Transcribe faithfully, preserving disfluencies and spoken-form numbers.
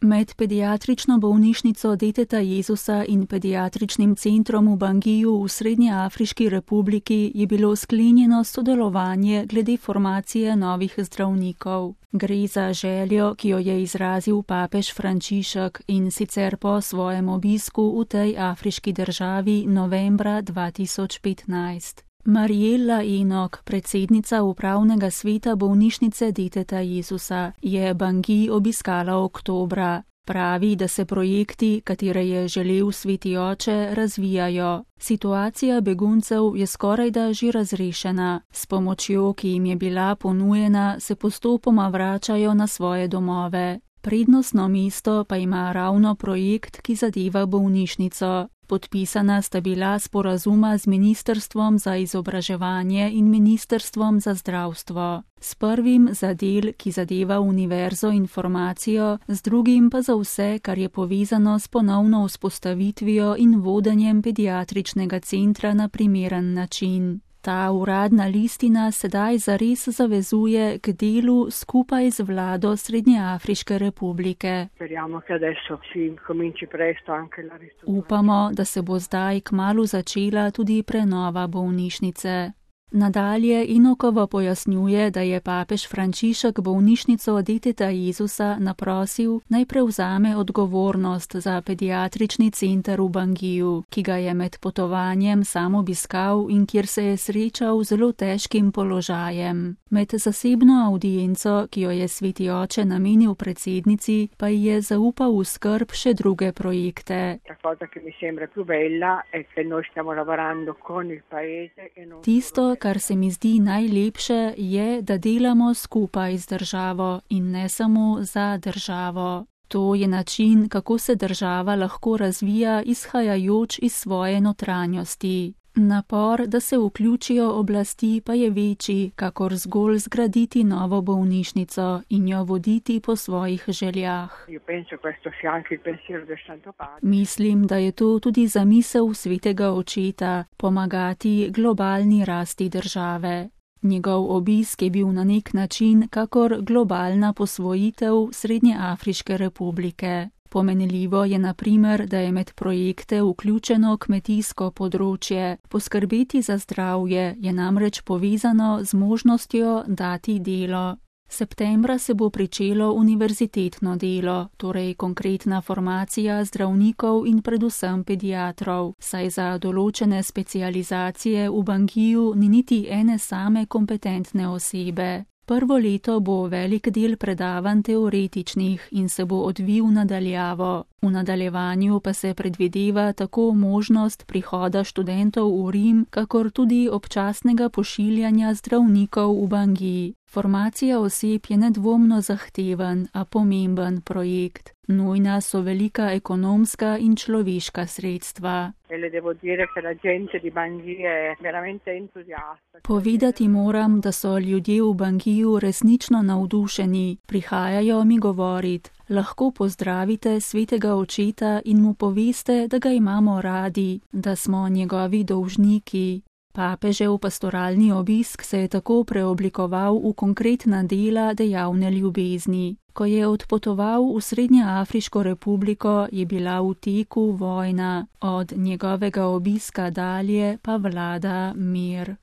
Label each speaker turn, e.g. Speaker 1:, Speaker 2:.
Speaker 1: Med pediatrično bolnišnico Deteta Jezusa in pediatričnim centrom v Bangiju v Srednjeafriški republiki je bilo sklenjeno sodelovanje glede formacije novih zdravnikov. Gre za željo, ki jo je izrazil papež Frančišek in sicer po svojem obisku v tej afriški državi novembra dva tisoč petnajst. Mariela Enok, predsednica upravnega sveta bolnišnice Deteta Jezusa, je Bangi obiskala oktobra. Pravi, da se projekti, katere je želel Sveti oče, razvijajo. Situacija beguncev je skorajda že razrešena. S pomočjo, ki jim je bila ponujena, se postopoma vračajo na svoje domove. Prednostno mesto pa ima ravno projekt, ki zadeva bolnišnico. Podpisana sta bila sporazuma z Ministrstvom za izobraževanje in Ministrstvom za zdravstvo. S prvim za del, ki zadeva univerzo in formacijo, z drugim pa za vse, kar je povezano s ponovno vzpostavitvijo in vodenjem pediatričnega centra na primeren način. Ta uradna listina sedaj zares zavezuje k delu skupaj z vlado Srednjeafriške republike. Upamo, da se bo zdaj kmalu začela tudi prenova bolnišnice. Nadalje Enokova pojasnjuje, da je papež Frančišek bolnišnico Deteta Jezusa naprosil, naj prevzame odgovornost za pediatrični center v Bangiju, ki ga je med potovanjem sam obiskal in kjer se je srečal z zelo težkim položajem. Med zasebno audienco, ki jo je Sveti oče namenil predsednici, pa ji je zaupal v skrb še druge projekte. Tisto, kar se mi zdi najlepše, je, da delamo skupaj z državo in ne samo za državo. To je način, kako se država lahko razvija, izhajajoč iz svoje notranjosti. Napor, da se vključijo oblasti, pa je večji, kakor zgolj zgraditi novo bolnišnico in jo voditi po svojih željah. Mislim, da je to tudi zamisel Svetega očeta, pomagati globalni rasti države. Njegov obisk je bil na nek način kakor globalna posvojitev Srednjeafriške republike. Pomenljivo je na primer, da je med projekte vključeno kmetijsko področje. Poskrbeti za zdravje je namreč povezano z možnostjo dati delo. Septembra se bo pričelo univerzitetno delo, torej konkretna formacija zdravnikov in predvsem pediatrov, saj za določene specializacije v Bangiju ni niti ene same kompetentne osebe. Prvo leto bo velik del predavanj teoretičnih in se bo odvil nadaljavo. V nadaljevanju pa se predvideva tako možnost prihoda študentov v Rim, kakor tudi občasnega pošiljanja zdravnikov v Bangiji. Formacija oseb je nedvomno zahteven, a pomemben projekt. Nujna so velika ekonomska in človeška sredstva. Povedati moram, da so ljudje v Bangiju resnično navdušeni. Prihajajo mi govorit. Lahko pozdravite Svetega očeta in mu poveste, da ga imamo radi, da smo njegovi dolžniki. Papežev pastoralni obisk se je tako preoblikoval v konkretna dela dejavne ljubezni. Ko je odpotoval v Srednjeafriško republiko, je bila v teku vojna, od njegovega obiska dalje pa vlada mir.